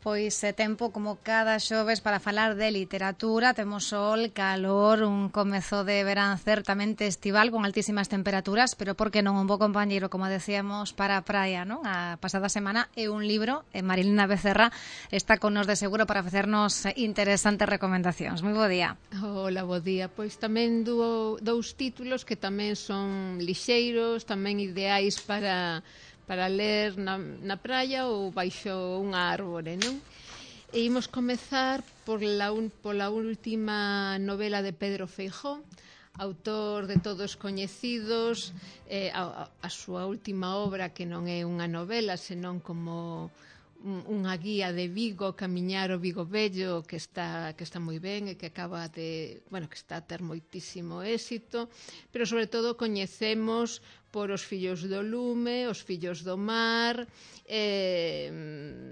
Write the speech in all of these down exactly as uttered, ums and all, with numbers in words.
Pois é tempo como cada xoves para falar de literatura. Temos sol, calor, un comezo de verán certamente estival con altísimas temperaturas, pero por que non un bo compañeiro, como decíamos, para a praia, non? A pasada semana é un libro, e Marilena Becerra está con nos de seguro para facernos interesantes recomendacións. Moi bo día. Hola, bo día. Pois tamén dou, dous títulos que tamén son lixeiros, tamén ideais para... para ler na, na praia ou baixo unha árbore, non? E imos comezar por la un, pola última novela de Pedro Feijó, autor de todos coñecidos, eh, a, a súa última obra que non é unha novela, senón como unha guía de Vigo, camiñar o Vigo Vello, que está que está moi ben e que acaba de, bueno, que está a ter moitísimo éxito, pero sobre todo coñecemos por Os fillos do lume, Os fillos do mar, eh,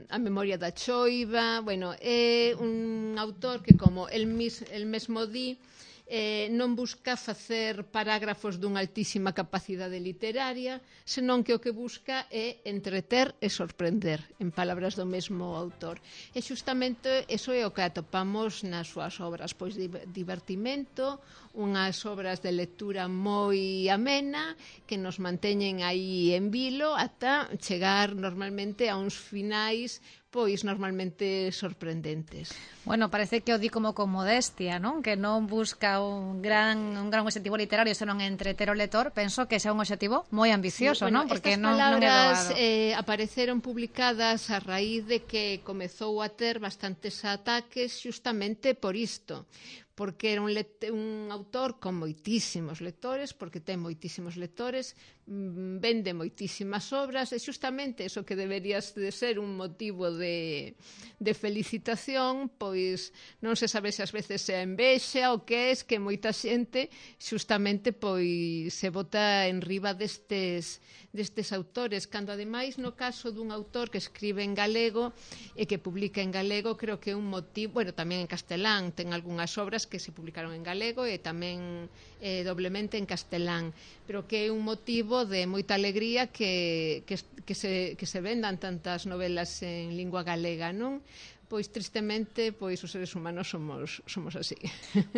A memoria da choiva. Bueno, é un autor que, como el, mis, el mesmo di, eh, non busca facer parágrafos dunha altísima capacidade literaria, senón que o que busca é entreter e sorprender, en palabras do mesmo autor. E xustamente eso é o que atopamos nas súas obras, pois divertimento, unhas obras de lectura moi amena que nos manteñen aí en vilo ata chegar normalmente a uns finais pois normalmente sorprendentes. Bueno, parece que o di como con modestia, non? Que non busca un gran un gran objetivo literario, senón entreter o lector. Penso que ese é un objetivo moi ambicioso, sí, bueno, non? Porque estas non, palabras non é eh, apareceron publicadas a raíz de que comezou a ter bastantes ataques xustamente por isto, porque era un, un autor con moitísimos lectores, porque ten moitísimos lectores, vende moitísimas obras, e xustamente eso que deberías de ser un motivo de, de felicitación, pois non se sabe se ás veces é envexa ou que é, que moita xente xustamente pois se bota en riba destes, destes autores, cando ademais no caso dun autor que escribe en galego e que publica en galego, creo que é un motivo, bueno, tamén en castelán ten algunhas obras que se publicaron en galego e tamén eh, doblemente en castelán, pero que é un motivo de moita alegría que, que, que, se, que se vendan tantas novelas en lingua galega, non? Pois tristemente, pois os seres humanos somos somos así.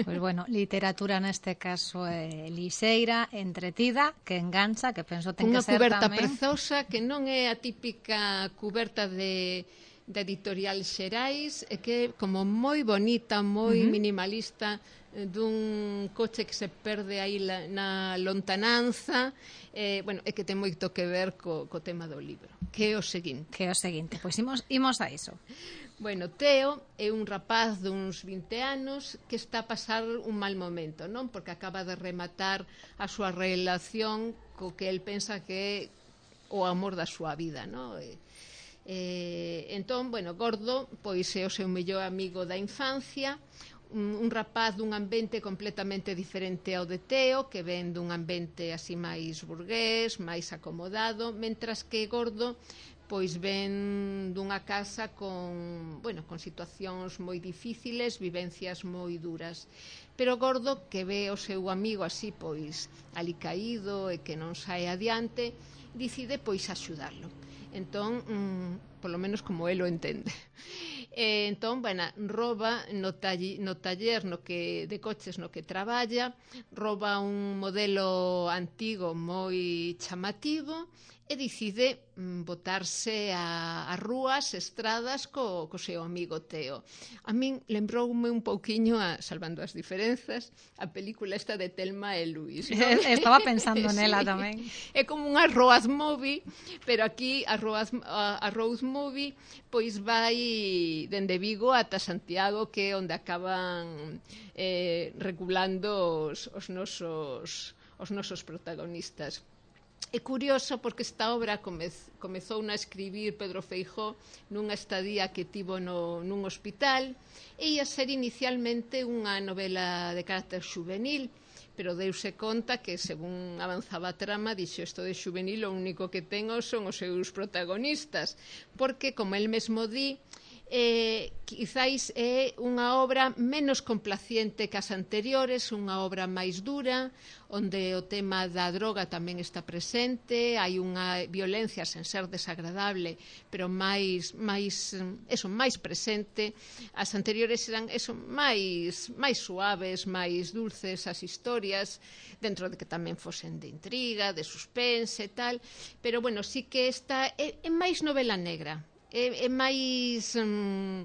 Pois bueno, literatura neste caso é lixeira, entretida, que engancha, que penso ten que ser tamén. Unha cuberta prezosa que non é a típica cuberta de de editorial Xerais, e que é como moi bonita, moi uh -huh. minimalista, dun coche que se perde aí la, na lontananza, eh, bueno, é que ten moito que ver co, co tema do libro, que é o seguinte. Que é o seguinte, pois imos, imos a iso. Bueno, Teo é un rapaz duns vinte anos que está a pasar un mal momento, non? Porque acaba de rematar a súa relación co que el pensa que é o amor da súa vida, non? E, Eh, entón, bueno, Gordo pois é o seu mellor amigo da infancia, un, un rapaz dun ambiente completamente diferente ao de Teo, que ven dun ambiente así máis burgués, máis acomodado, mentras que Gordo pois ven dunha casa con, bueno, con situacións moi difíciles, vivencias moi duras. Pero Gordo, que ve o seu amigo así pois alicaído e que non sae adiante, decide pois axudarlo. Entón, mmm, polo menos como el o entende. E, entón, bueno, roba no, taller, no taller no que, de coches no que traballa, roba un modelo antigo moi chamativo e decide mm, botarse a, a rúas, estradas co, co seu amigo Teo. A min lembroume un pouquiño, a, salvando as diferenzas, a película esta de Telma e Luis, ¿no? Estaba pensando nela sí. Tamén. É como unha road movie, pero aquí a road, a, a road movie pois vai dende Vigo ata Santiago, que é onde acaban eh, regulando os, os nosos os nosos protagonistas. É curioso porque esta obra comez, comezou a escribir Pedro Feijó nunha estadía que tivo no, nun hospital, e ia ser inicialmente unha novela de carácter juvenil, pero deuse conta que, según avanzaba a trama, dixo, isto de juvenil o único que tengo son os seus protagonistas, porque, como el mesmo di, eh, quizáis é unha obra menos complaciente que as anteriores, unha obra máis dura, onde o tema da droga tamén está presente, hai unha violencia sen ser desagradable, pero máis máis eso, máis presente. As anteriores eran eso, máis máis suaves, máis dulces as historias, dentro de que tamén fosen de intriga, de suspense e tal, pero bueno, sí que esta é, é máis novela negra. É, é máis mm,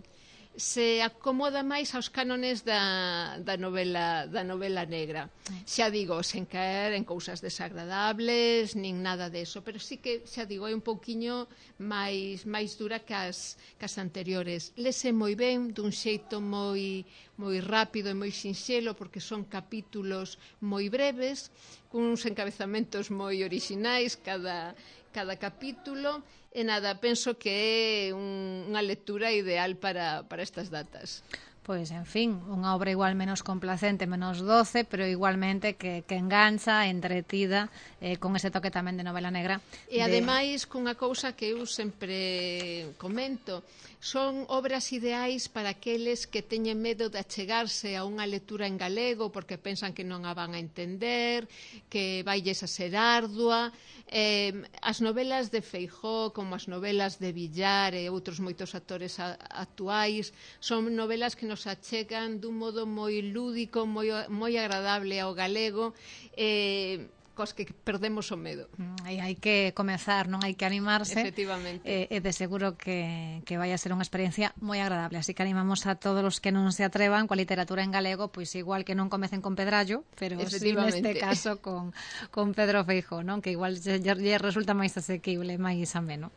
se acomoda máis aos cánones da, da novela da novela negra. Xa digo, sen caer en cousas desagradables nin nada deso, pero sí que xa digo, é un pouquiño máis máis dura que as, que as anteriores. Lese moi ben, dun xeito moi moi rápido e moi sinxelo, porque son capítulos moi breves, cuns encabezamentos moi orixinais cada cada capítulo, e nada, penso que é un, unha lectura ideal para, para estas datas. Pois, en fin, unha obra igual menos complacente, menos doce, pero igualmente que, que engancha, entretida, eh, con ese toque tamén de novela negra. E de... ademais, cunha cousa que eu sempre comento, son obras ideais para aqueles que teñen medo de achegarse a unha lectura en galego porque pensan que non a van a entender, que vailles a ser ardua. Eh, as novelas de Feijóo, como as novelas de Villar e outros moitos actores a, actuais, son novelas que nos achegan dun modo moi lúdico, moi, moi agradable ao galego, eh, cos que perdemos o medo. Hai, hai que comezar, non hai que animarse. Efectivamente. E eh, de seguro que, que vai a ser unha experiencia moi agradable. Así que animamos a todos os que non se atrevan coa literatura en galego, pois igual que non comecen con Pedrallo, pero si neste caso con, con Pedro Feijóo, non? Que igual lle, lle resulta máis asequible, máis ameno.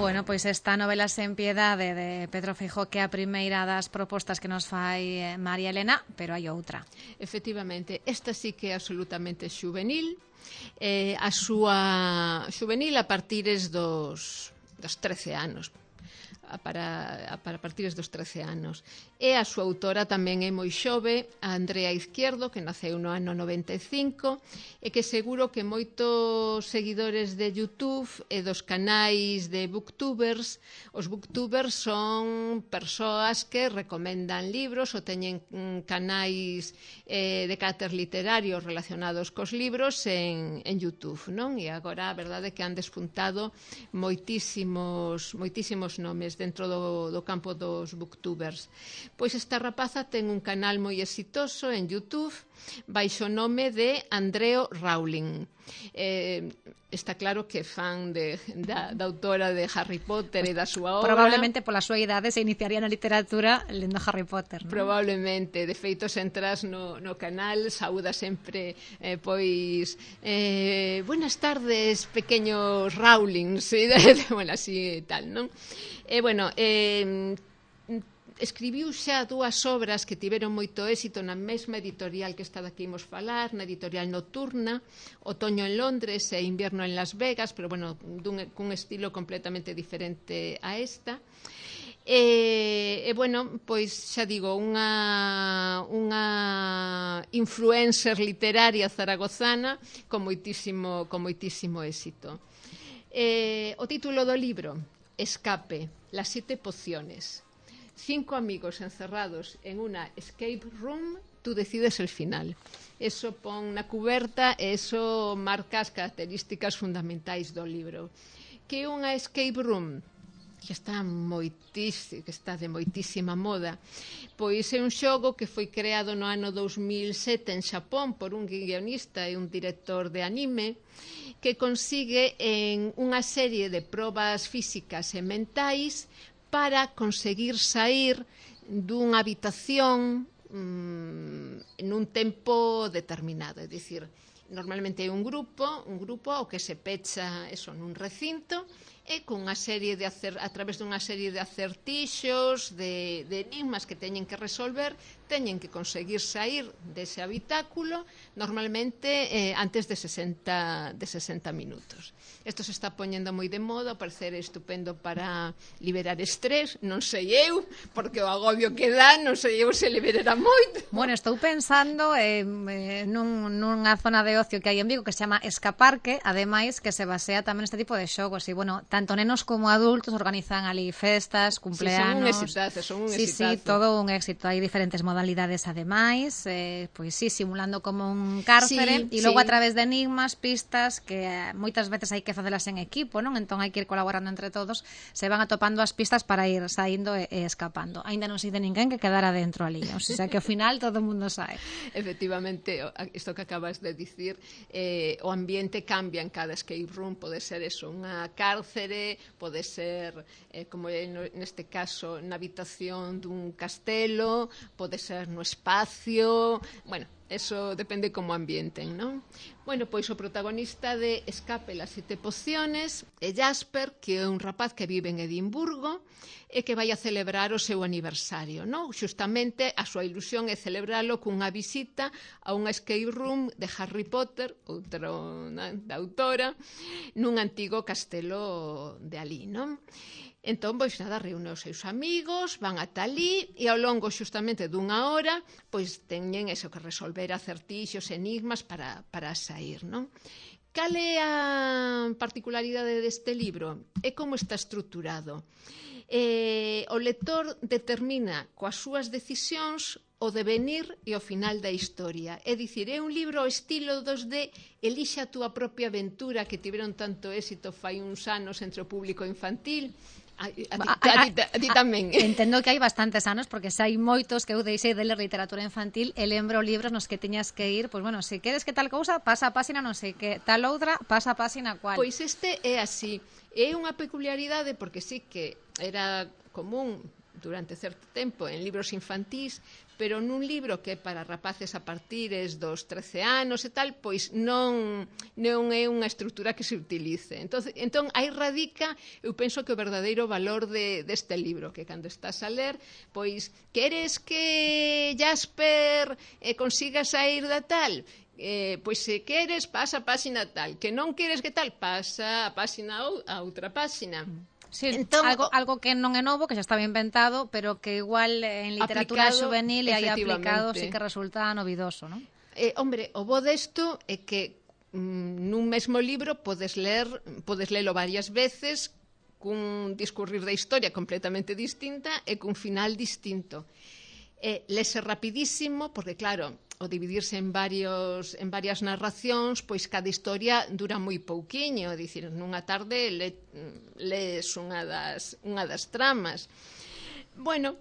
Bueno, pois esta novela Sen piedade de Pedro Feijóo, que é a primeira das propostas que nos fai María Elena, pero hai outra. Efectivamente, esta sí que é absolutamente xuvenil, eh, a súa xuvenil a partires dos, dos trece anos, para, para partires dos trece anos. E a súa autora tamén é moi xove, a Andrea Izquierdo, que naceu no ano noventa e cinco, e que seguro que moitos seguidores de YouTube e dos canais de booktubers, os booktubers son persoas que recomendan libros ou teñen canais eh, de carácter literario relacionados cos libros en, en YouTube, non? E agora a verdade é que han despuntado moitísimos, moitísimos nomes dentro do, do campo dos booktubers. Pois esta rapaza ten un canal moi exitoso en YouTube baixo o nome de Andreo Rowling. Eh, está claro que é fan de, da, da autora de Harry Potter e da súa obra. Probablemente pola súa idade se iniciaría na literatura lendo Harry Potter, non? Probablemente. De feito, se entras no, no canal, saúda sempre eh, pois eh, buenas tardes, pequeños Rowlings, e bueno, así tal, non? E eh, bueno, eh, escribiu xa dúas obras que tiveron moito éxito na mesma editorial que esta da que imos falar, na editorial Nocturna, Otoño en Londres e Invierno en Las Vegas, pero bueno, dun, cun estilo completamente diferente a esta. E, e bueno, pois xa digo, unha, unha influencer literaria zaragozana con moitísimo, con moitísimo éxito. E, o título do libro, Escape, las siete pociones. Cinco amigos encerrados en una escape room, tú decides el final. Eso pon na cuberta e eso marca as características fundamentais do libro. Que é unha escape room? Que está moitísimo, que está de moitísima moda. Pois é un xogo que foi creado no ano dous mil sete en Xapón por un guionista e un director de anime, que consigue en unha serie de probas físicas e mentais para conseguir sair dunha habitación mmm, en un tempo determinado. É dicir, normalmente é un grupo, un grupo ao que se pecha eso nun recinto e con unha serie de acer, a través dunha serie de acertixos, de, de enigmas que teñen que resolver, teñen que conseguir sair dese habitáculo normalmente eh, antes de sesenta, de sesenta minutos. Isto se está poñendo moi de moda, parecer estupendo para liberar estrés, non sei eu, porque o agobio que dá, non sei eu se liberará moito. Bueno, estou pensando eh, nun, nunha zona de ocio que hai en Vigo que se chama Escaparque, ademais que se basea tamén neste tipo de xogos, e bueno, tanto nenos como adultos organizan ali festas, cumpleanos. Sí, son un exitazo, son un sí, exitazo. Sí, todo un éxito. Hai diferentes modalidades ademais, eh, pois sí, simulando como un cárcere, e sí, logo sí. a través de enigmas, pistas, que eh, moitas veces hai que facelas en equipo, non? Entón hai que ir colaborando entre todos, se van atopando as pistas para ir saindo e, e escapando. Aínda non sei de ninguén que quedara dentro ali, o sea que ao final todo o mundo sae. Efectivamente, isto que acabas de dicir, eh, o ambiente cambia en cada escape room, pode ser eso, unha cárcere, pode ser, eh, como é neste caso, na habitación dun castelo, pode ser no espacio, bueno, eso depende como ambienten, non? Bueno, pois o protagonista de Escape las siete pociones é Jasper, que é un rapaz que vive en Edimburgo e que vai a celebrar o seu aniversario, non? Xustamente a súa ilusión é celebralo cunha visita a unha escape room de Harry Potter, outro da autora, nun antigo castelo de alí, non? Entón, pois nada, reúne os seus amigos, van ata ali e ao longo xustamente dunha hora pois teñen eso que resolver acertixos, enigmas para, para sair, non? Cal é a particularidade deste libro? É como está estruturado. Eh, o lector determina coas súas decisións o devenir e o final da historia. É dicir, é un libro ao estilo dos de Elixe a túa propia aventura que tiveron tanto éxito fai uns anos entre o público infantil. A, a, a, a, a, a ti tamén. Entendo que hai bastantes anos, porque se hai moitos que eu deixei de ler literatura infantil e lembro libros nos que tiñas que ir, pois bueno, se queres que tal cousa, pasa a páxina non sei que, tal outra, pasa a páxina cual. Pois este é así. É unha peculiaridade porque sí que era común durante certo tempo en libros infantís, pero nun libro que é para rapaces a partires dos trece anos e tal, pois non, non é unha estrutura que se utilice. Entón, entón aí radica, eu penso que o verdadeiro valor de, deste libro, que cando estás a ler, pois, queres que Jasper eh, consiga sair da tal? Eh, pois se queres, pasa a páxina tal. Que non queres que tal, pasa a páxina a outra páxina. Sí, entón, algo, algo que non é novo, que xa estaba inventado, pero que igual en literatura aplicado, xuvenil e aí aplicado sí que resulta novidoso, non? Eh, hombre, o bo desto é que mm, nun mesmo libro podes ler, podes lelo varias veces cun discurrir da historia completamente distinta e cun final distinto. Eh, lese rapidísimo, porque claro, o dividirse en varios en varias narracións, pois cada historia dura moi pouquiño, dicir, nunha tarde le, lees unha das unha das tramas. Bueno,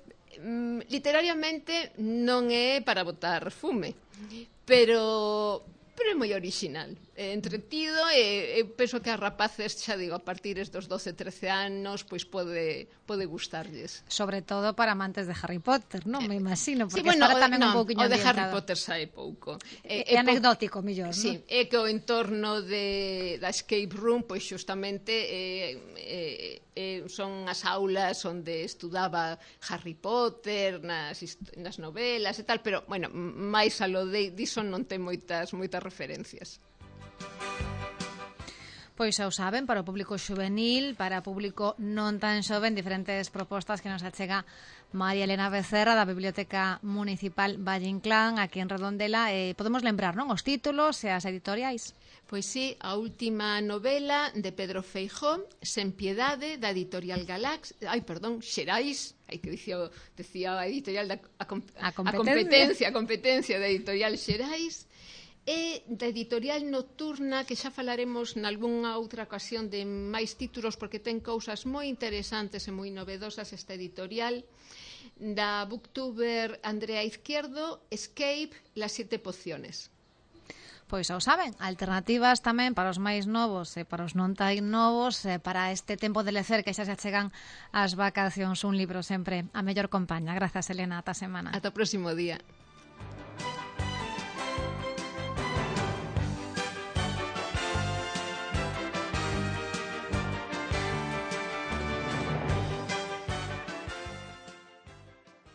literariamente non é para botar fume, pero pero é moi original, é entretido e, e penso que a rapaces, xa digo, a partir dos doce, trece anos, pois pode pode gustarlles. Sobre todo para amantes de Harry Potter, non? Me imagino, porque sí, bueno, estará tamén no, un pouquiño o de ambientado. Harry Potter sae pouco. É, é, é anecdótico, mellor, non? Sí, é que o entorno de, da escape room, pois xustamente é, é, é, son as aulas onde estudaba Harry Potter, nas, nas novelas e tal, pero, bueno, máis a lo de diso non ten moitas moitas referencias. Pois xa o saben, para o público xuvenil, para o público non tan xoven, diferentes propostas que nos achega María Elena Becerra da Biblioteca Municipal Valle Inclán, aquí en Redondela. Eh, podemos lembrar, non, os títulos e as editoriais? Pois sí, a última novela de Pedro Feijó, Sen piedade, da editorial Galax, ai, perdón, Xerais, ai que dicía, decía a editorial da a, a, a, competencia, a competencia da editorial Xerais, e da editorial Nocturna, que xa falaremos nalgúnha outra ocasión de máis títulos, porque ten cousas moi interesantes e moi novedosas esta editorial, da booktuber Andrea Izquierdo, Escape, las siete pociones. Pois xa o saben, alternativas tamén para os máis novos e para os non tan novos, e para este tempo de lecer que xa se achegan as vacacións, un libro sempre a mellor compaña. Grazas, Elena, ata semana. Ata o próximo día.